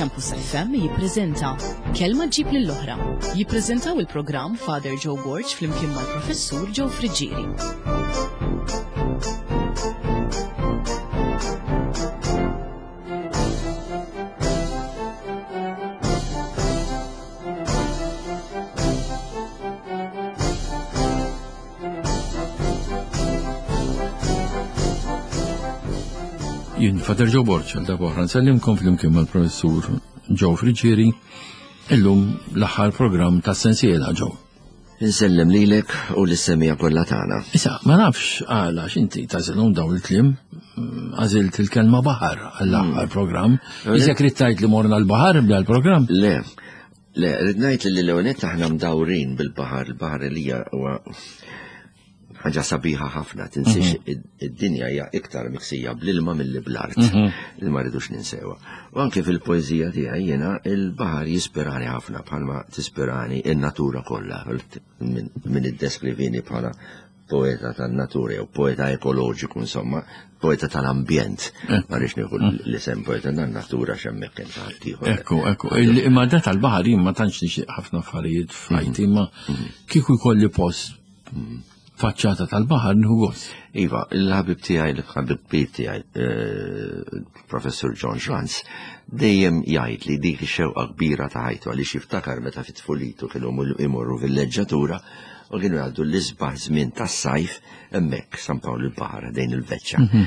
Campus FM jippreżenta Kelma ġġib lill-oħra. Jippreżentaw il-programm Father Joe Borg flimkien mal-Professur Joe Friggieri. Jien Fader Joe Borg għal darba oħra nsellimkom flimkien mal-professur Joe Friggieri illum l-aħħar programm ta' sensiela Joe. Insellem lilek u lis-semija kollha tagħna. Issa, ma nafx għala x'inti tażilhom dawn il-kliem, mm, għażilt il-kelma baħar għall-aħħar mm. programm. Iżek rid tgħid li morna l-baħar bda l-programm? Le, Le, rrid ngħid li l-ewwel aħna mdawrin bil-baħar, il-baħar li huwa ħaġa sabiħa ħafna, tinsiex mhm. id-dinja hija iktar miksija bl-ilma milli bl-art, mhm. li ma rridux ninsewa. U anke fil-poeżija tiegħi jiena il-baħar jispirani ħafna bħalma tispirani in-natura kollha minn iddeskrivini bħala poeta tan-natura jew poeta ekoloġiku insomma, poeta tal-ambjent. Eh. Ma rridx nieħu mm. l-isem poeta tan-natura x'hemmhekk kien ta' ħaddieħor. Ekku, ekku. Imma da tal-baħar jien ma tantx nixtieq ħafna affarijiet f'ħajti, mm. imma mm. kieku jkolli post faċċata tal-baħar nieħu gost. Iva, il-ħabib tiegħi, il-ħabib tiegħi, eh, Professur John Schranz, dejjem jgħid li dik ix-xewqa kbira ta' ħajtu għaliex jiftakar meta fit-tfulitu kienu imorru villeġġatura u kienu jgħaddu l-isbaħ żmien tas-sajf hemmhekk San Pawl il-Baħar ħdejn il-Veċċa. Mhm.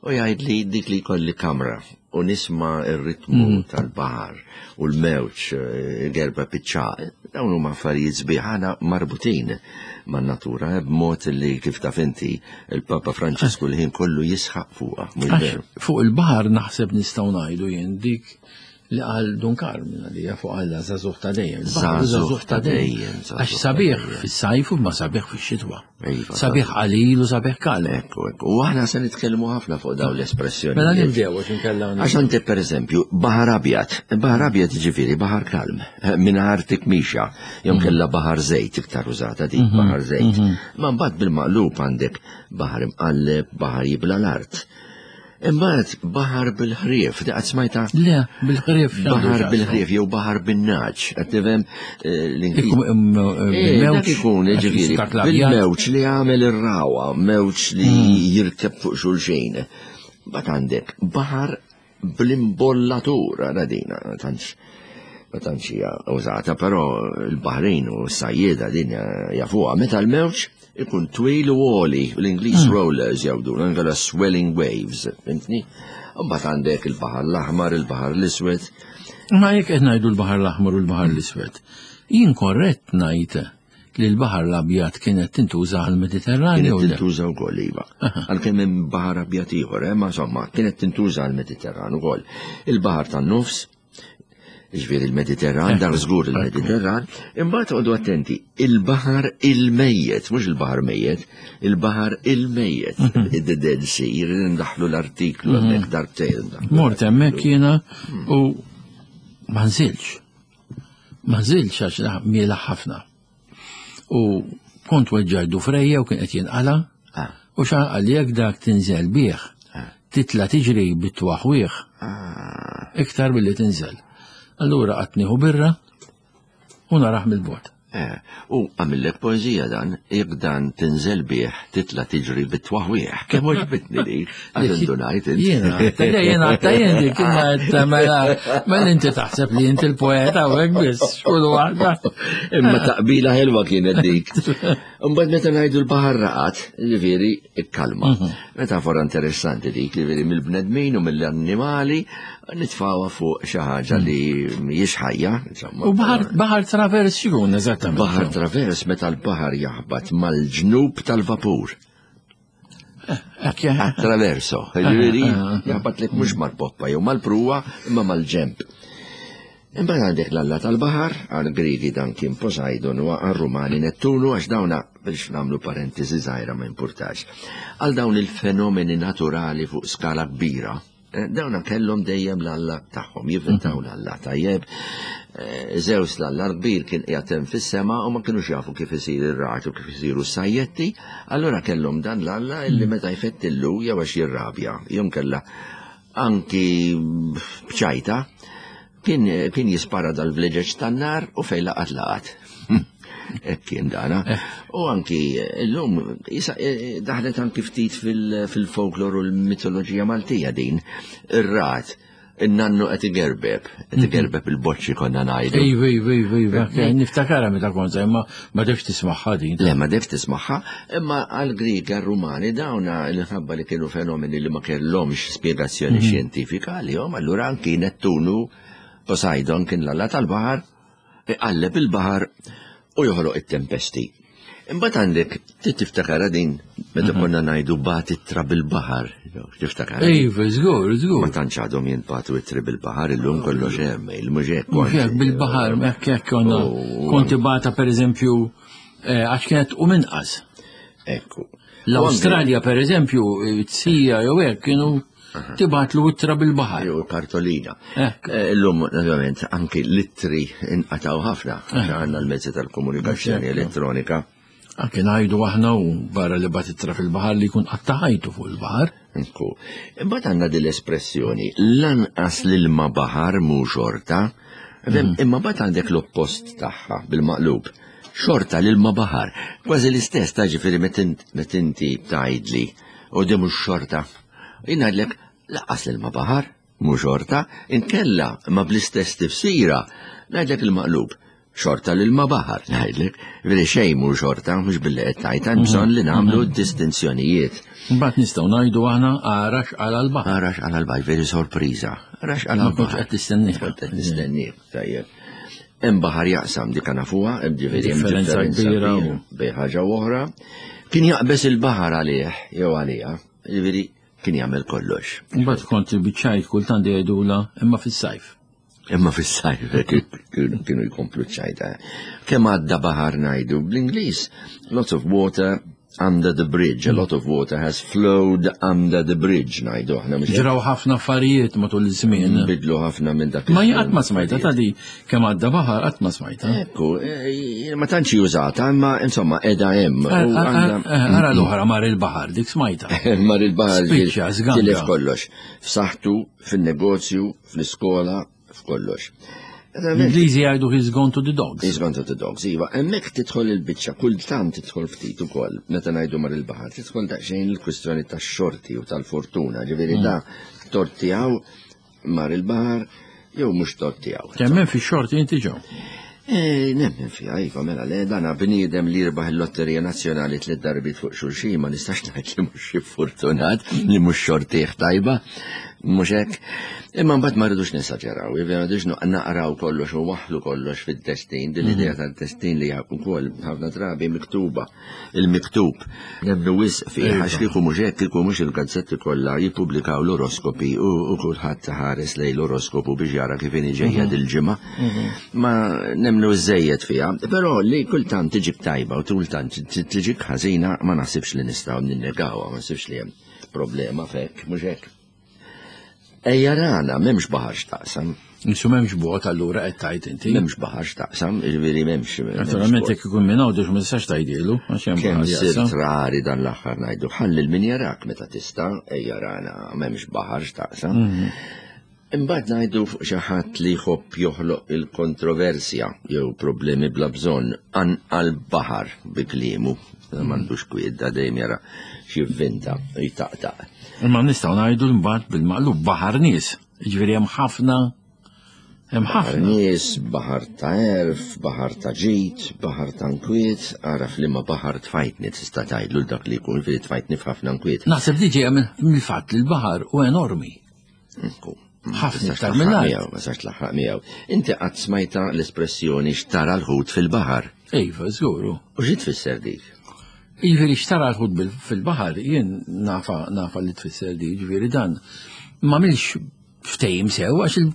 U jgħid li dik li jkolli kamra u nisma ir-ritmu mhm. tal-baħar u l-mewġ eh, gerba piċċa, dawn huma affarijiet sbieħ aħna marbutin man-natura eh, b'mod li kif taf inti il-Papa Franċisku l-ħin kollu jisħaq fuqha. Fuq il-baħar naħseb nistgħu ngħidu jien dik li qal Dun Karm li fuq Alla żagħżugħ ta' dejjem. Żagħżugħ ta' dejjem. Għax sabiħ fis-sajf u ma sabiħ fix-xitwa. Iva, sabiħ qalil u sabiħ kalm. Ekku, ekku. U aħna se nitkellmu ħafna fuq dawn l-espressjoni. Mela nibdew għax inkella. Għax għandi pereżempju baħar abjad. Baħar abjad ġifieri baħar kalm, eh, mingħajr tikmixa, jew mhm. kellha baħar żejt iktar użata dik mhm. baħar żejt. Mhm. Ma mbagħad bil-maqlub għandek baħar imqalleb, baħar jibla l-art. Imbagħad baħar bil-ħrief, di qatt smajta? Le, bil-ħrief. Baħar bil-ħrief jew baħar bin-naġ, qed tifhem eh, l-Ingliż. Eh, eh, dak ikun ġifieri bil-mewġ li għamel ir-rawa, mewġ li hmm. jirkeb fuq xulxin. Bat għandek baħar bl-imbollatur, għara dina, tantx ma tantx hija użata, però l-Baħrin u s-sajjieda din jafuha meta l-mewġ ikun twil u għoli, l-Ingliż hmm. rollers jgħidu, l swelling waves, fimtni? Mbagħad għandek il-Baħar l-Aħmar, il-Baħar l-Iswed. Ma jekk qed ngħidu l-Baħar l-Aħmar u l-Baħar l-Iswed, jien korrett ngħid li l-Baħar l-Abjad kienet tintuża għall-Mediterranju. Kienet tintuża wkoll iva. Għalkemm hemm Baħar Abjad ieħor, eh, ma insomma, kienet tintuża għall-Mediterran ukoll. Il-Baħar tan-Nofs, ġviri il-Mediterran, dar żgur il-Mediterran, imbagħad għodu attenti, il-baħar il-mejjet, mhux il-baħar mejjet, il-baħar il-mejjet, mhm. the Dead Sea, jrid ndaħlu l-artiklu mhm. hemmhekk darbtejn. Mort hemmhekk jiena u ma nżilx. Ma nżilx għax miela ħafna. U kont weġġaj dufrejja u kien qed jinqala. Ah. U xa qal jekk dak tinżel bih, ah. titla tiġri bit-twaħwieħ ah. iktar billi tinżel. Allura qatt nieħu birra u naraħ mill-bot. Eh, u għamillek poezija dan, jekk dan tinżel bih, titla tiġri bit-twaħwieħ. Kemm oġbitni li, għax indunajt int. Jiena, jiena, jien dik, imma mela, mela inti taħseb li inti l-poeta u hekk biss, xkunu waħda. Imma taqbila ħelwa kienet dik. Imbagħad meta ngħidu l-baħar raqat, ġifieri ikkalma. Mhm. Metafora interessanti dik, ġifieri mill-bnedmin u mill-annimali nitfawha fuq xi ħaġa li mhijiex ħajja, insomma. U baħar travers x'ikun eżattament? Baħar travers meta l-baħar jaħbat mal-ġnub tal-vapur. Eh, Traverso, ġifieri jaħbat lek mhux mal-poppa jew mal-pruwa imma mal-ġemp. Imbagħad għandek l-alla tal-baħar, għal Griegi dan kien Poseidon u għal Rumani Nettunu għax dawna biex nagħmlu parentesi żgħira ma jimpurtax. Għal dawn il-fenomeni naturali fuq skala kbira, eh, dawna kellhom dejjem l-alla tagħhom, jivvintaw mhm. l-alla tajjeb. Eh, Zeus l-alla kbir kien qiegħed hemm fis-sema u ma kinux jafu kif isir ir-raġ u kif isiru s-sajjetti, allura kellhom dan l-alla illi mhm. meta jfettillu jew għax jirrabja, jew kellha anki bċajta, Kien, kien jispara dal-vleġeġ tan-nar u fejn laqat laqat. Hekk kien dana. Eh. U anki llum eh, daħlet anki ftit fil-folklor u l-mitoloġija Maltija din. Ir-rat in-nannu qed igerbeb, qed mhm. igerbeb il-boċċi konna ngħidu. Iva, iva, iva, iva, niftakara meta kont imma ma defx tismagħha din. Le, ma defx tismagħha, imma għall-Grieg għar-Rumani dawna l-ħabba li kienu fenomeni li ma kellhomx spjegazzjoni mhm. xjentifika għalihom, allura anki Nettunu Poseidon kien l-alla tal-baħar iqalleb il-baħar u joħloq it-tempesti. Imbagħad għandek trid tiftakara din meta mhm. konna ngħidu bat ittra bil-baħar. Tiftakara? Iva, żgur, żgur. Ma tantx għadhom jintbatu ittri bil-baħar illum kollox hemm, il-mhux hekk. Mhux hekk bil-baħar, hekk hekk konna konti bata pereżempju eh, għax kienet u minqas. Ekku. L-Awstralja pereżempju, tsija jew hekk kienu Tibatlu ittra bil-baħar. Jew kartolina. Eh, illum, naturalment, anki l-ittri inqataw ħafna, eh. għandna l-mezzi tal-komunikazzjoni elettronika. Anki ngħidu aħna u barra li bat ittra fil-baħar li jkun qatta ħajtu fuq il-baħar. Ekku. Imbagħad għandna din l-espressjoni lanqas l-ilma baħar mhu xorta, mhm. imma mbagħad għandek l-oppost tagħha bil-maqlub. Xorta l-ilma baħar. Kważi l-istess ta' ġifieri meta inti tgħidli u di mhux xorta. Jien ngħidlek laqqas l-ilma baħar, mhu xorta, inkella ma bl-istess tifsira, ngħidlek il-maqlub. Xorta l-ilma baħar, ngħidlek, veri xejn mhu xorta, mhux billi qed tgħid hemm bżonn li nagħmlu mhm. distinzjonijiet. Mbagħad nistgħu ngħidu aħna arax għal l-baħar. Arax għal l-baħar, veri sorpriża. Arax għal l-baħar. Qed tistennih. Kont qed nistennih, tajjeb. Hemm baħar jaqsam dik nafuha, hemm ġifieri hemm differenza kbira bejn ħaġa u oħra. Kien jaqbeż il-baħar għalih jew għaliha. Jiġifieri kien jagħmel kollox. Imbagħad kont biċċajt kultant jgħidula imma fis-sajf. Imma fis-sajf kienu jkomplu ċajta. Kemm għadda baħar ngħidu bl-Ingliż, lots of water under the bridge, a lot of water has flowed under the bridge, ngħidu aħna. Ġraw ħafna affarijiet matul iż-żmien. Bidlu ħafna minn dak. Ma qatt ma smajta ta' di kemm għadda baħar qatt ma smajta. Ekku, eh, ma tantx użata, imma insomma qiegħda hemm. Eh, ara l-oħra mar il-baħar, dik smajta. Mar il-baħar. Spiċċa, żganga. Tilef kollox. F'saħħtu, fin-negozju, fl-iskola, f'kollox. L-Ingliżi jgħidu he's gone to the dogs. He's gone to the dogs, iva. Hemmhekk tidħol il-biċċa, kultant tidħol ftit ukoll, meta ngħidu mar il-baħar, tidħol daqsxejn il-kwistjoni tax-xorti u tal-fortuna, ġifieri mm. da tort tiegħu mar il-baħar jew mhux tort tiegħu. Temmen fix-xorti inti ġew. Eh, nemmen fiha, iva, mela le, dana bniedem li jirbaħ il-Lotterija Nazzjonali tliet darbiet fuq xulxin, ma nistax ngħid li mhux fortunat, li mhux xortih tajba, mhux hekk. Imma mbagħad ma rridux nesaġeraw, iva, ma rridux naqraw kollox u waħlu kollox fid-destin, din l-idea mhm. tad-destin li wkoll ħafna drabi miktuba il-miktub. Nemmnu wisq fih għax kieku mhux hekk kieku mhux il-gazzetti kollha jippubblikaw l-oroskopi u kulħadd ħares lejn l-oroskopu biex jara kif inhi ġejja mhm. dil-ġimgħa. Mhm. Ma nemmnu żejjed fiha, però li kultant tiġik tajba u kultant tiġik ħażina ma naħsibx li nistgħu ninnegawha, ma naħsibx li hemm problema f'hekk, mhux hekk. Ejja rana, m'hemmx baħar x'taqsam. Insu m'hemmx bogħod allura qed tgħid inti. M'hemmx baħar x'taqsam, jiġifieri m'hemmx. Naturalment jekk ikun minn Għawdex ma tistax tgħidilu għax hemm Kemm sirt rari dan l-aħħar ngħidu ħalli l min jarak meta tista' ejja rana m'hemmx baħar x'taqsam. Mhm. Imbagħad ngħidu fuq xi ħadd li jħobb joħloq il-kontroversja jew problemi bla bżonn anqal baħar bi kliemu. M'għandux kwiet da dejjem jara x'jivvinta u jtaqtaq. Imma nistgħu ngħidu mbagħad bil-maqlub baħar nies. Jiġifieri hemm ħafna hemm ħafna. Nies, baħar ta' erf, baħar ta' ġid, baħar ta' nkwiet, ara f'liema baħar tfajtni tista' tgħidlu dak li jkun fili tfajtni f'ħafna nkwiet. Naħseb li ġejja mill-fatt li l-baħar hu enormi. Ħafna iktar mill-art. Ma sax tlaħħaq miegħu. Inti qatt smajta l-espressjoni xtara l-ħut fil-baħar. Iva, żguru. U xi tfisser dik? Jiġifieri xtara l-ħut fil-baħar, jien nafa nafa li tfisser dik, jiġifieri dan ma milx ftehim sew għax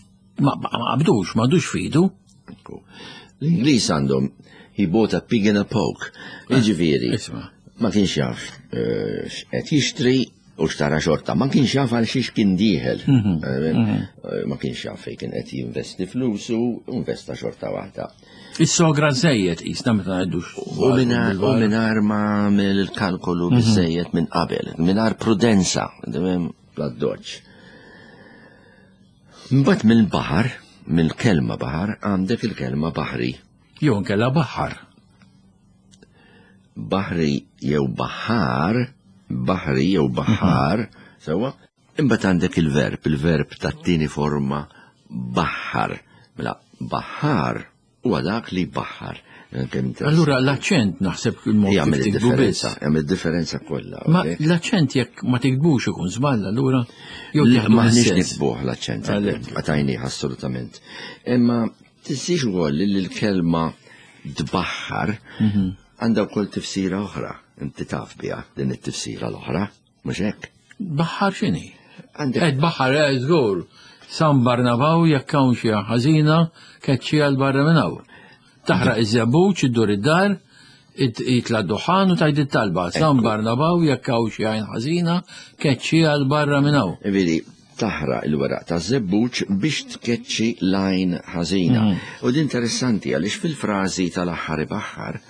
ma qabdux, ma għadux fidu. L-Ingliż għandhom he bought a pig in a poke. Eh, jiġifieri. Ma kienx jaf eh, x'qed jixtri u xtara xorta. Ma kienx jaf għal xiex kien dieħel. Mhm. Eh, mhm. Ma kienx jaf fejn kien qed jinvesti flusu, investa xorta waħda. Is-sogra żejjed qisna meta ngħidux. U mingħajr ma għamel il-kalkolu mhm. biżejjed minn qabel, mingħajr prudenza, bla doċ. Mbagħad mill-baħar. mill-kelma baħar għandek il-kelma baħri. Jew inkella baħar. Baħri jew baħar, baħri jew baħar, sewwa. Imbagħad għandek il-verb, il-verb tat-tieni forma baħar. Mela baħar huwa dak li jbaħħar. Allura l-aċċent naħseb il-mod jagħmel id-differenza, jagħmel differenza kollha. Ma l-aċċent jekk ma tikbux ikun żball allura jew maħniex nikbuh l-aċċent, għatajnih assolutament. Imma tinsiex ukoll li l-kelma tbaħħar mhm. għandha wkoll tifsira oħra, inti taf biha din it-tifsira l-oħra. Mhux hekk? Baħħar x'inhi? Qed baħħar eh, żgur. San Barnabaw jekk hawn xi ħażina keċċi għal barra minn hawn. Taħraq iż-żebbuġ, iddur id-dar, jitla' duħan u tgħid it-talba. San Barnabaw jekk hawn xi għajn ħażina keċċi għal barra minn hawn. Vedi, taħraq il-weraq ta' żebbuġ biex tkeċċi l-għajn ħażina. Mhm. U din interessanti għaliex fil-frażi tal-aħħar ibaħħar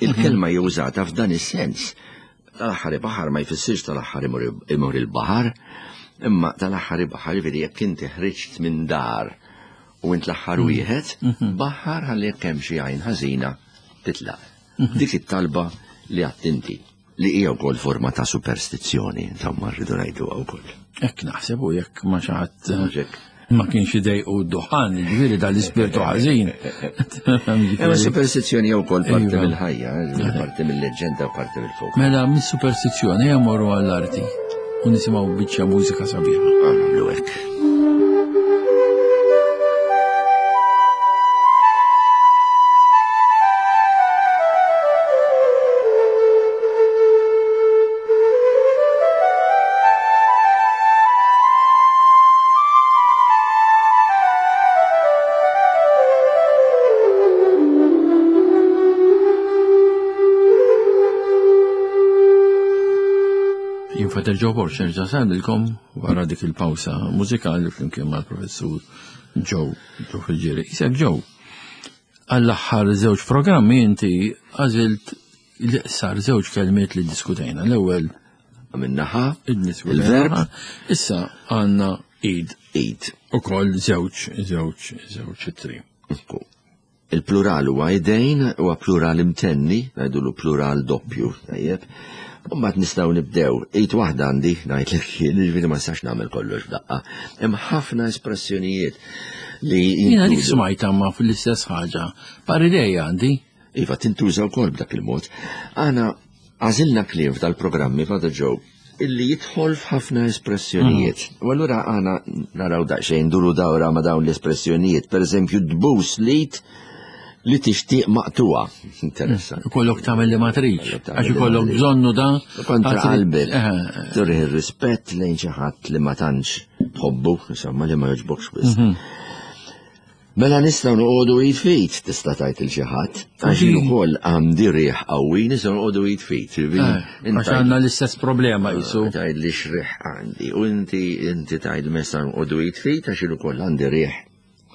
Il-kelma hija użata f'dan is-sens. Tal-aħħar ibaħar ma jfissirx tal-aħħar imur il-baħar, imma tal-aħħar ibaħar jiġifieri jekk inti ħriġt minn dar u int l-aħħar mhm. wieħed, mhm. baħar ħalli jekk hemm xi għajn ħażina titlaq. Mhm. Dik it-talba li għadt inti li hija wkoll forma ta' superstizzjoni, insomma rridu ngħiduha wkoll. Hekk naħseb u jekk ma xi ħadd eh, ma kienx idejqu d-duħan, ġifieri dal-ispirtu ħażin. Imma superstizzjoni jew ukoll parti iva. mill-ħajja, eh, parti mill-leġġenda u parti mill-folk. Mela mis-superstizzjoni hemm morru għall-arti u nisimgħu biċċa mużika sabiħa. Għamlu hekk. Jien Fater Joe Borg nerġa' nsellmilkom wara dik il-pawsa mużikali flimkien mal-professur Joe Joe Friggieri. Isek Joe, għall-aħħar żewġ programmi inti għażilt l-iqsar żewġ kelmiet li diskutejna. L-ewwel minnaħa il-verb. Issa għandna id. Id. Ukoll żewġ, żewġ, żewġ ittri. Il-plural huwa idejn, huwa plural imtenni, ngħidulu plural doppju, tajjeb. U mbagħad nistgħu nibdew. Id waħda għandi, ngħidlek jien, jiġifieri ma nistax nagħmel kollox f'daqqa. Hemm ħafna espressjonijiet li. Jiena dik smajta ma fl-istess ħaġa. Par idej għandi. Iva, tintuża wkoll b'dak il-mod. Aħna għażilna kliem f'dal-programmi Father Joe illi jidħol f'ħafna espressjonijiet. Mm. U allura aħna naraw daqsxejn duru dawra ma' dawn l-espressjonijiet. Per eżempju, dbus lit li tixtieq maqtuha. Interessanti. Mm. Ikollok tagħmel li ma tridx, għax ikollok bżonnu da. Kontra qalbek. Turih ir-rispett lejn xi ħadd li ma tantx tħobbu, insomma li ma jogħġbokx wisq. Mhm. Mela nistgħu noqogħdu id f'id, tista' tgħid il xi ħadd, għax jien ukoll għandi riħ qawwi nistgħu noqogħdu id f'id. Eh, għax għandna l-istess problema qisu. Eh, tgħid li x'riħ għandi u inti inti tgħid meta noqogħdu id f'id għax jien ukoll għandi riħ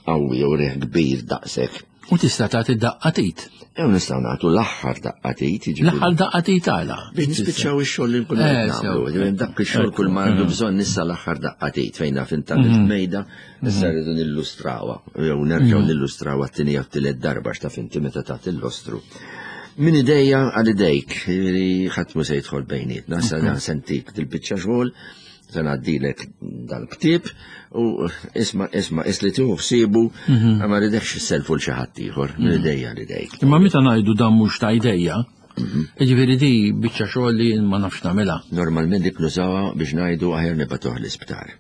qawwi jew riħ kbir daqshekk. U tista' tagħti daqqa tit. Jew nistgħu nagħtu l-aħħar daqqa tit. L-aħħar daqqa tit għala. Biex nispiċċaw ix-xogħol li nkunu eh, nagħmlu. Dak ix-xogħol kull ma għandu bżonn issa l-aħħar daqqa tit fejn naf inta mm. mejda Issa rridu nillustrawha, jew nerġgħu mm. nillustrawha t-tieni jew t-tielet darba x'taf inti meta tagħti l-lostru. Min idejja għal idejk, li ħadd mu se jidħol bejnietna, sa sentik dil-biċċa xogħol, se ngħaddilek dal-ktieb u isma' isma' isli tieħu ħsiebu mhm. ma ridekx isselfu l xi ħadd ieħor, min mhm. idejja għal idejk. Imma meta ngħidu dan mhux ta' idejja, mhm. Jiġifieri di biċċa xogħol li ma nafx nagħmilha. Normalment dik nużawha biex ngħidu aħjar nibatuh l-isptar.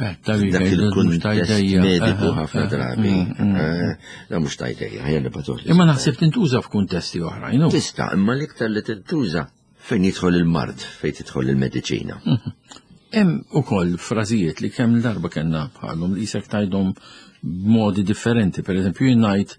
Eh, Dak il-kuntest mediku ħafna drabi. Mm, mm. Eh, da mhux tajtejja, ħajja nibatuh. Imma naħseb tintuża f'kuntesti oħrajn. Tista', imma l-iktar li tintuża fejn jidħol il-mard, fejn tidħol il-mediċina. Mhm. Hemm ukoll frażijiet li kemm darba kellna bħalhom li jisek tgħidhom b'modi differenti. Per eżempju, jien ngħid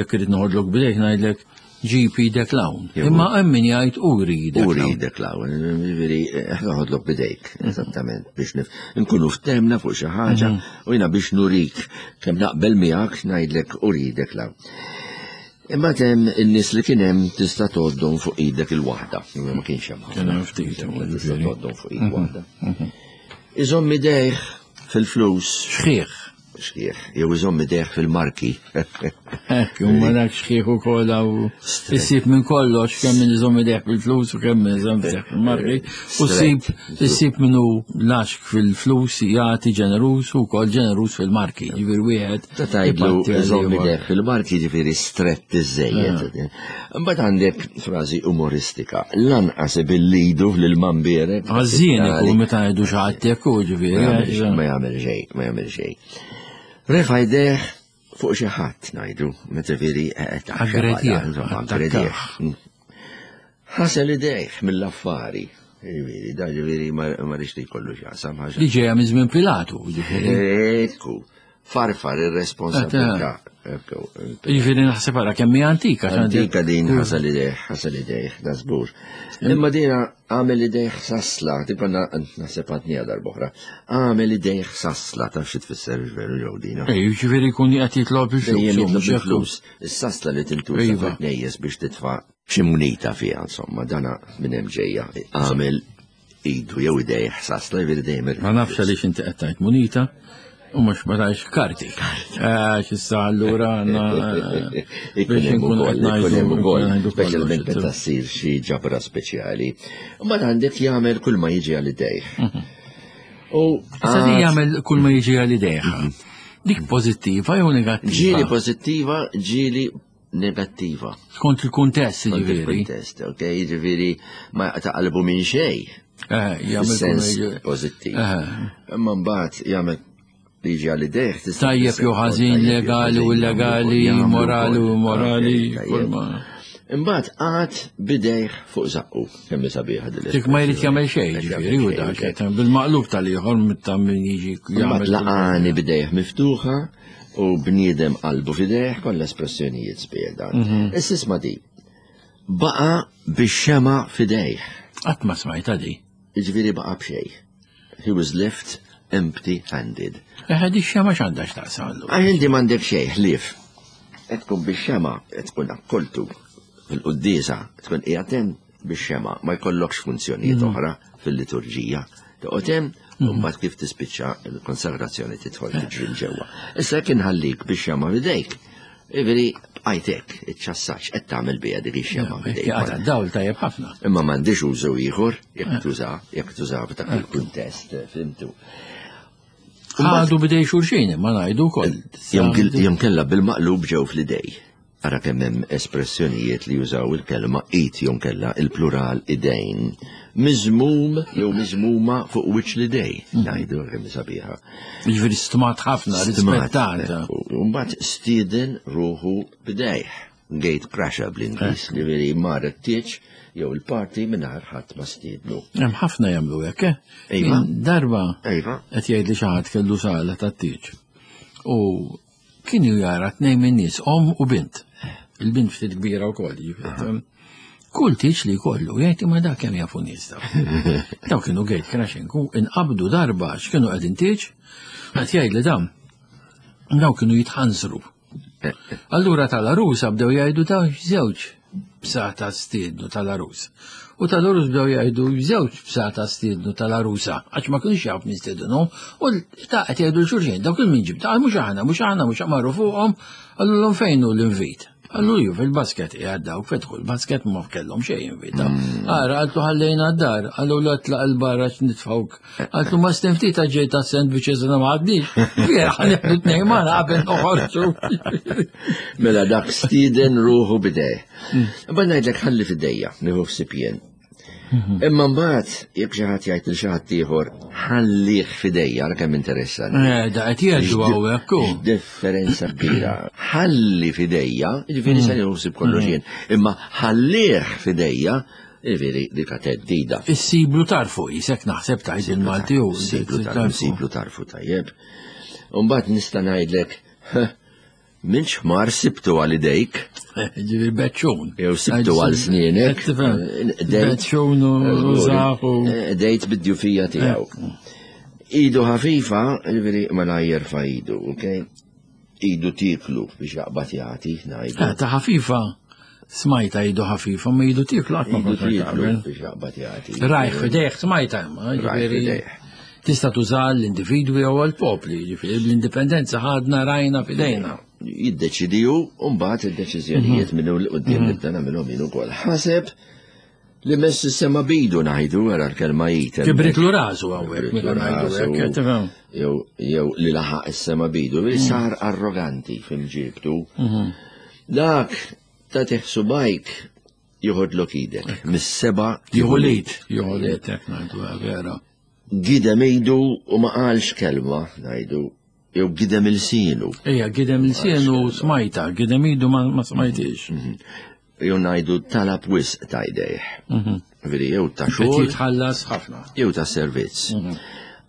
jekk irid noħodlok bidejk ngħidlek Ġib idek l-hawn. Imma hemm min jgħid uri idek. Uri idek l-hawn. Jiġifieri eh, noħodlok bidejk, eżattament, biex nkunu ftemna fuq xi ħaġa mhm. u jiena biex nurik kemm naqbel miegħek ngħidlek uri idek l-hawn. Imma tem in-nies li kien hemm tista' tgħoddhom fuq idek il-waħda. Ma kienx hemm. Kien hemm ftit. Tista' tgħoddhom fuq id mhm. waħda. Mhm. Iżomm idejh fil-flus. Xħieħ. Xħieħ, jew iżomm idejh fil-marki. Hekk, u ma dak xħieħ ukoll hawn issib minn kollox kemm min iżomm idejh fil-flus u kemm min iżomm idejh fil-marki. U ssib issib minnu laxk fil-flus jagħti ġenerus u wkoll ġenerus fil-marki. Ġifieri wieħed. Ta' tgħidlu iżomm idejh fil-marki ġifieri strett iżejjed. Eh. Imbagħad għandek frażi umoristika. Lanqas billidu lil mambierek. Għażin ikun meta jgħidu xi ħadd hekk u ġifieri. Ma jagħmel xejn, ma jagħmel xejn. Refa' jdejh fuq xi ħadd ngħidu, meta veri eh, Aggredih. Aggredih. Ħasel idejh mill-affari. Ġifieri, da ġifieri ma rridx li jkollu x'jaqsam ħaġa. Li ġejja minn żmien Pilatu, ġifieri. Ekku, farfar ir-responsabilità. Ġifieri naħseb ara kemm hija antika. Antika din ħasel idejh, ħasel idejh, da żgur. Imma dina għamel idejh sasla, tibqa' naħseb għadniha darb'oħra. Għamel idejh sasla, taf xi tfisser veru ġew dina. Ej, ġifieri jkun qed jitlob il-flus. Jitlob il-flus. Is-sasla li tintuża iva. fil-knejjes biex titfa' xi munita fiha, insomma, dana minn hemm ġejja. Għamel idu jew idejh sasla jiġifieri dejjem. Ma nafx għaliex inti qed tgħid munita u mhux ma tgħidx karti. Għax issa allura għandna eh, biex inkunu qed ngħidu speċjalment meta ssir xi ġabra speċjali. Mbagħad għandek jagħmel kull ma jiġi għal idejh. Mhm. U issa jagħmel kull ma jiġi għal idejh. Mhm. Dik pożittiva jew negattiva? Ġieli pożittiva, ġieli negattiva. Skont il-kuntest, ġifieri. Il-kuntest, ok, ġifieri ma taqalbu minn xejn. Eh, jagħmel sens pożittiv. Eh. Imma mbagħad jagħmel liġi għal idejh. Tajjeb jew ħażin legali u illegali, morali u immorali, Imbagħad qagħad bidejh fuq żaqqu, kemm sabiħa din. Dik ma jrid jagħmel xejn, ġifieri u dak bil-maqlub tal-ieħor ta' min jiġi jagħmel. Laqani bidejh miftuħa u bniedem qalbu fidejh kollha espressjonijiet sbieħ dan. Mhm. Issa isma' di. Baqa' bix-xema fidejh. Qatt ma smajta di. Jiġifieri baqa' b'xejn. He was left empty-handed. Eħe, di xema x'għandha x'taqsam allura? Għax inti m'għandek xejn ħlief. Qed tkun bix-xema, qed tkun akkoltu fil-quddiesa, tkun qiegħed hemm bix-xema, ma jkollokx funzjonijiet mm. oħra fil-liturġija. Toqgħod hemm u mm. mbagħad kif tispiċċa l-konsagrazzjoni tidħol tiġri ġewwa. Issa jekk inħallik bix-xema f'idejk, Ivri, bqajtek, iċ-ċassaċ, qed tagħmel biha dik ix-xema. Għadha dawl tajjeb ħafna. Imma m'għandix użu ieħor jekk tuża, jekk tuża f'dak il-kuntest, fimtu. Ħadu bidej xulxin, ma ngħidu wkoll. Jom kella bil-maqlub ġew fl-idej. Ara kemm hemm espressjonijiet li jużaw il-kelma id jew kella il-plural idejn. Miżmum jew miżmuma fuq wiċċ l-idej. Ngħidu kemm sabiħa. Jiġifieri stmat ħafna, rispettat. U mbagħad stieden ruħu b'dejh. Gate crasher bl-Ingliż, eh. ġifieri mar it-tieġ jew il-party mingħajr ħadd ma stiednu. Hemm ħafna jagħmlu hekk, eh? Iva. Darba iva. qed jgħid li xi ħadd kellu sala tat-tieġ. U Kien jara tnejn minn nies, om u bint. Il-bint ftit kbira wkoll, jiġifieri. Kull tieġ li jkollu, jgħid imma dak kemm jafu nies daw. Daw kienu gate crashing u inqabdu darba x'kienu qegħdin tieġ, qed jgħid li dam daw kienu jitħanżru. Allura tal-arusa bdew jgħidu daw żewġ bsata stiednu tal-arus. U tal-arus bdew jgħidu żewġ bsata stiednu tal-arusa, għax ma kienx jaf min stiednuhom, u ta' qed jgħidu l-xulxin, dawk il-min ġib, ta' mhux aħna, mhux aħna, mhux marru fuqhom, qalulhom fejn hu l-invit. Qallu ju fil-basket qiegħed dawk fetħu l-basket ma kellhom xejn invita. Mm. Ara qaltu ħallejna d-dar, qallu l tlaq il-barra x'nitfgħuk Għaltu ma stemti ta' ġej ta' sandwiches na ma għadnix. Vera, ħanibdu tnej ma qabel noħorġu. Mela dak stiden ruħu bidej. Mm. Ba ngħidlek ħalli fidejja, nieħu f'sipjen. Mhm. Imma mbagħad jekk xi ħadd jgħid lil xi ħadd ieħor ħallih fidejja ara kemm interessanti. Eh, da qed jgħidu hawnhekk. Differenza kbira. Ħalli fidejja, jiġifieri se nieħu ħsieb kollox mhm. jien, imma ħallih fidejja Jiġifieri dik theddida. Issiblu tarfu isek naħseb tajt il-Malti u. Siblu tarfu, siblu tarfu tajjeb. Umbagħad nista' ngħidlek minn xmar sibtu għal idejk. Ġifieri beċċun. Jew sibtu għal snienek. Beċċun u zaħu. Eh, dejt bid-djufija tiegħu. Idu ħafifa, ġifieri ma jerfa' idu, okej? Idu tieklu biex jaqbad jagħti, ngħidu. Eh, ta' ħafifa, smajta idu ħafifa, ma idu tieklu qatt ma kont tieklu biex jaqbad jagħti. Rajh fidejh smajta imma, ġifieri. Tista' tuża l-individwi jew għall-popli, jiġifieri l-indipendenza ħadna rajna f'idejna. Jiddeċidi hu u mbagħad id-deċiżjonijiet minn hawn 'l quddiem nibda nagħmilhom jien ukoll. Ħaseb li mess is-sema bidu ngħidu wara l-kelma jit. Kibritlu rasu hawnhekk meta ngħidu hekk, tifhem? Jew li laħaq is-sema bidu, li sar arroganti f'imġiebtu. Dak ta' tiħsubajk joħodlok idek. Mis-seba' Jieħu l-id, jieħu l-id, hekk ngħidu vera. Gidem idu u ma qalx kelma, ngħidu, jew gidem ilsienu. Ejja, gidem ilsienu smajta, gidem idu ma smajtix. Jew ngħidu talab wisq ta' jdejh. Veri, jew ta' xogħol. Jitħallas ħafna. Jew ta' servizz.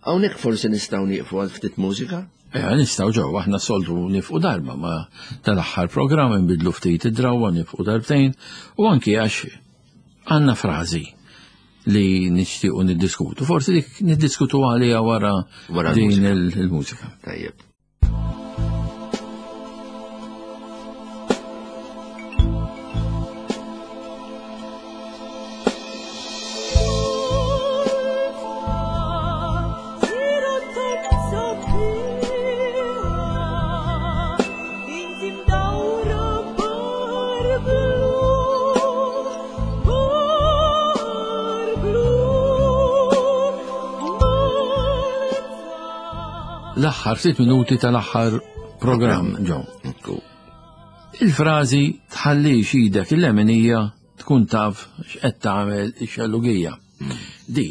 Hawnhekk forsi nistgħu nieqfu għal ftit mużika? Ejja, nistgħu ġew, aħna soltu nifqu darba ma tal-aħħar programm inbidlu ftit id-drawwa nifqu darbtejn u anki għax għandna frażi li nixtiequ niddiskutu. Forsi dik niddiskutu għaliha wara din il-mużika. Tajjeb. L-aħħar ftit minuti tal-aħħar programm ġo. Il-frażi tħallix idek il-leminija tkun taf x'qed tagħmel ix-xellugija. Di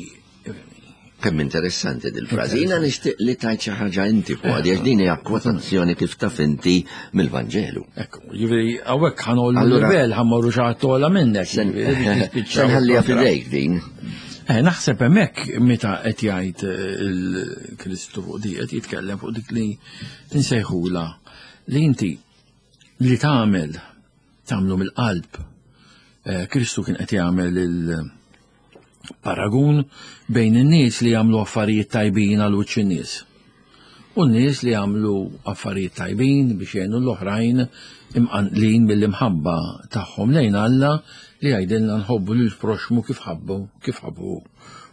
Kemm interessanti dil-frażi. Jiena nixtieq li tajt xi ħaġa inti fuq għax din hija kwotazzjoni kif taf inti mill-Vanġelu. Ekku, jiġifieri hawnhekk ħanollu livell ħammorru xi ħadd ogħla minnek. Se nħalliha f'idejk din. Eh, naħseb hemmhekk meta qed jgħid eh, il-Kristu fuq di qed jitkellem fuq dik li nsejħula li inti li tagħmel tagħmlu mill-qalb. Eh, Kristu kien qed jagħmel il- Paragun bejn in-nies li jagħmlu affarijiet tajbin għal wiċċ in-nies u n-nies li jagħmlu affarijiet tajbin biex jgħinu l-oħrajn imqanqlin mill-imħabba tagħhom lejn Alla li jgħidilna nħobbu lil proxmu kif ħabbu kif ħabbu.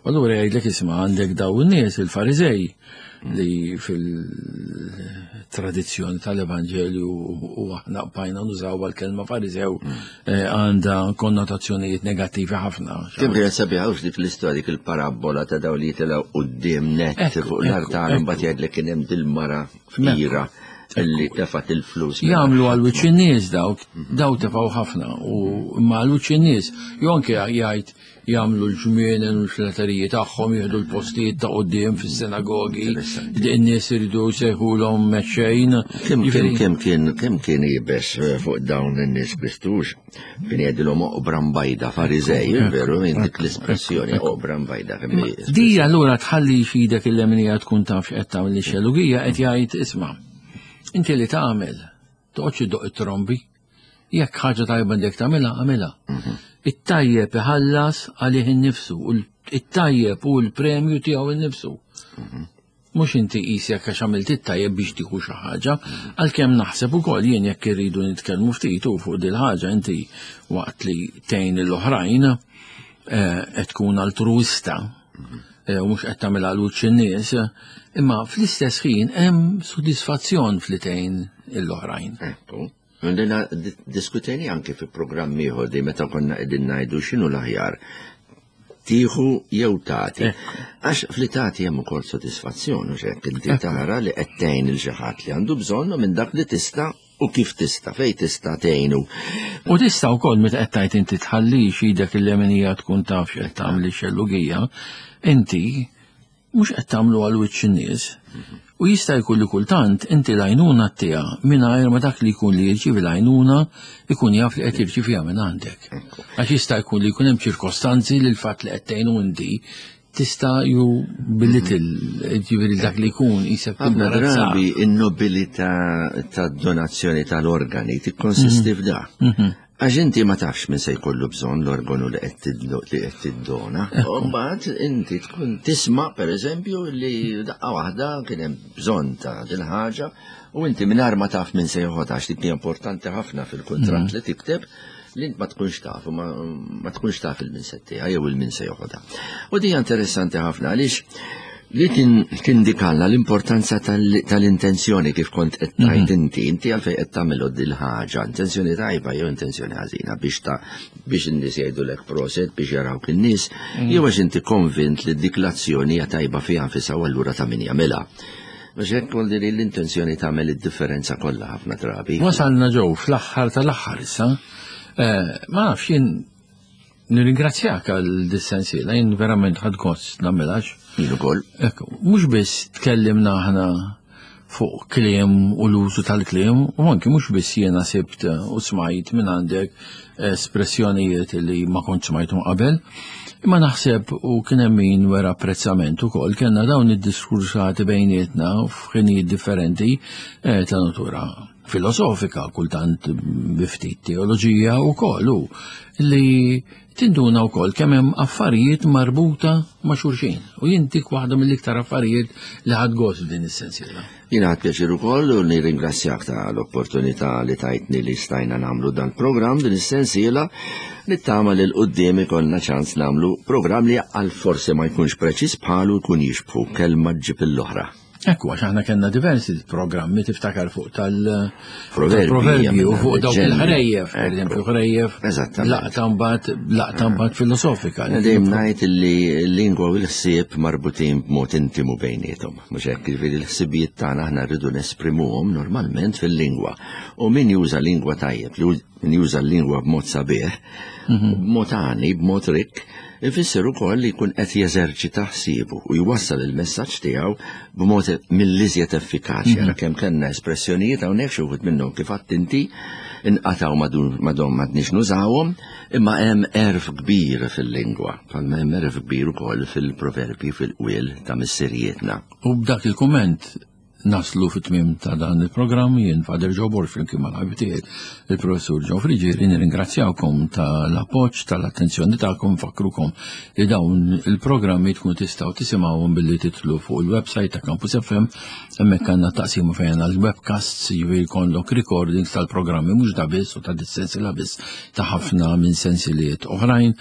U allura jgħidlek isma' għandek daw in-nies il-Fariżej li fil-tradizzjoni tal-Evanġelju u aħna bqajna nużaw għal-kelma Fariżew eh, għandha konnotazzjonijiet negattivi ħafna. Kemm kienet sabiħa dik l-istorja dik il-parabbola ta' daw li jitilgħu quddiem nett fuq l-artar imbagħad jgħidlek kien hemm dil-mara fqira illi tefat il-flus. Jagħmlu għal wiċċ in-nies dawk, daw tefgħu ħafna u imma għal wiċċ in-nies, jew anke jgħid jagħmlu l-ġmienen u l-flateriji tagħhom, jieħdu l-postijiet ta' quddiem fis-sinagogi, in-nies iridu jsejħulhom mexxejn. Kemm kien kemm kien kemm kien iebes eh, fuq dawn in-nies Kristux, kien jgħidilhom oqbra mbajda Fariżej, veru minn dik l-espressjoni oqbra mbajda kemm Di allura tħalli f'idek il-lemnija tkun taf x'qed tagħmel ix-xelugija qed jgħid isma' inti li tagħmel toqgħodx iddoq it-trombi. Jekk ħaġa tajba għandek tagħmilha, agħmilha. Mhm. It-tajjeb iħallas għalih innifsu, u it-tajjeb hu l-premju tiegħu innifsu. Mhm. Mhux inti qisek għax għamilt it-tajjeb biex tieħu xi ħaġa, għalkemm naħseb ukoll jien jekk irridu nitkellmu ftit u fuq dil ħaġa inti waqt li tgħin l-oħrajn eh, qed tkun altruista mhm. eh, u mhux qed tagħmel għal wiċċ in-nies, imma fl-istess ħin hemm sodisfazzjon fli tgħin l-oħrajn. Ekku. Għandina diskutejni anke fi programm ieħor di meta konna qegħdin ngħidu x'inhu l-aħjar tieħu jew tagħti. Għax fli tagħti hemm ukoll sodisfazzjon u x'hekk inti tara li qed tgħin il xi ħadd li għandu bżonn minn dak li tista' u kif tista' fejn tista' tgħinu. U tista' wkoll meta qed tgħid inti tħallix idek il-leminija tkun taf x'qed tagħmel ix-xellugija, inti mhux qed tagħmlu għal wiċċ in-nies. U jista' jkun li kultant inti l-għajnuna tiegħa mingħajr ma dak li jkun li jirċievi l-għajnuna jkun jaf li qed jirċieviha minn għandek. Għax jista' jkun li jkun hemm ċirkostanzi li l-fatt li qed tgħinu inti tista' ju belittle, ġifieri dak li jkun jisek Ħafna drabi in-nobilità tad-donazzjoni tal-organi tikkonsisti f'da. Għax inti ma tafx min se jkollu bżonn l-organu li qed li qed tiddona. U mbagħad inti tkun tisma' pereżempju li daqqa waħda kien hemm bżonn ta' din ħaġa u inti mingħajr ma taf min se joħodha għax dik hija importanti ħafna fil-kuntratt mhm. li tikteb li int ma tkunx taf u ma tkunx taf il-min se tieha jew il-min se joħodha. U di interessanti ħafna għaliex Li tindikalla l-importanza tal-intenzjoni kif kont qed tgħid mhm. inti, inti għalfejn qed tagħmel dil ħaġa, intenzjoni tajba jew intenzjoni ħażina biex ta' biex in-nies jgħidulek proset biex jarawk in-nies, mhm. jew għax inti konvint li dik l-azzjoni hija tajba fiha nfisha u allura ta' min jagħmilha. Biex hekk kolli li l-intenzjoni tagħmel id-differenza kollha ħafna drabi. Wasalna ġew fl-aħħar tal-aħħar issa. Eh, ma nafx jien nirringrazzjak għal dis-sensiela, jien verament ħadd gost nagħmilhax. Jien ukoll. Ekku, mhux biss tkellimna aħna fuq kliem u l-użu tal-kliem, u anki mhux biss jiena sibt u smajt minn għandek espressjonijiet li ma kontx smajthom qabel, imma naħseb u kien hemm min wera apprezzament ukoll kellna dawn id-diskursati bejnietna f'ħinijiet differenti eh, ta' natura filosofika, kultant bi ftit teoloġija wkoll u li tinduna wkoll kemm hemm affarijiet marbuta ma' xulxin. U jien dik waħda mill-iktar affarijiet li ħadd gost f'din is-sensiela. Jiena ħadt pjaċir ukoll u nirringrazzjak ta' l-opportunità li tajtni li stajna nagħmlu dan programm din is-sensiela nittama li l-qudiem ikollna ċans nagħmlu programm li għal forsi ma jkunx preċiż bħalu jkun jixbħu kelma ġib l-oħra. Ekku, għax aħna kellna diversi programmi tiftakar fuq tal-proverbji u fuq dawk il-ħrejjef, per eżempju, ħrejjef, laqta mbagħad laqta mbagħad filosofika. Dejjem ngħid li l-lingwa u l-ħsieb marbutin b'mod intimu bejniethom. Mhux hekk, jiġifieri l-ħsibijiet tagħna aħna rridu nesprimuhom normalment fil-lingwa. U min juża lingwa tajjeb, min juża l-lingwa b'mod sabiħ, mhm. b'mod għani, b'mod rikk, ifisser ukoll li jkun qed jeżerċita ħsiebu u jwassal il-messaġġ tiegħu b'mod mill-iżjed effikaċi. Mhm. Ara kemm kellna espressjonijiet hawnhekk xi wħud minnhom kif għadt inti inqatgħu madhom m'għadniex nużawhom, imma hemm għerf kbir fil-lingwa. Bħalma hemm għerf kbir ukoll fil-proverbji fil-qwiel ta' missirijietna. U b'dak il-kumment naslu fit-tmiem ta' dan il-programm jien Father Joe Borg flimkien mal-ħabib tiegħi il-Professur Joe Friggieri nirringrazzjawkom tal-appoġġ tal-attenzjoni tagħkom nfakkrukom li dawn il-programmi tkunu tistgħu tisimgħuhom billi titlu fuq il-website ta' Campus FM hemmhekk għandna taqsima fejn għandna l-webcasts jiġifieri jkollok recordings tal-programmi mhux da biss u ta' dis-sensiela biss ta' ħafna minn sensiliet oħrajn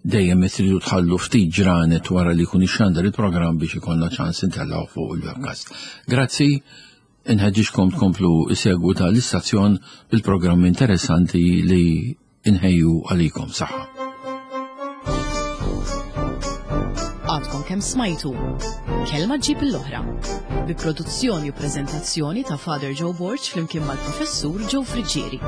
Dejjem tridu tħallu ftit ġranet wara li jkun ixxandar il-programm biex ikollna ċans intellgħu fuq il-webcast. Grazzi, inħeġġiġkom tkomplu isegwu ta' l-istazzjon bil-programmi interessanti li inħejju għalikom. Saħħa. Għadkom kemm smajtu Kelma ġib l-oħra bi produzzjoni u preżentazzjoni ta' Father Joe Borg flimkien mal-Professur Joe Friggieri.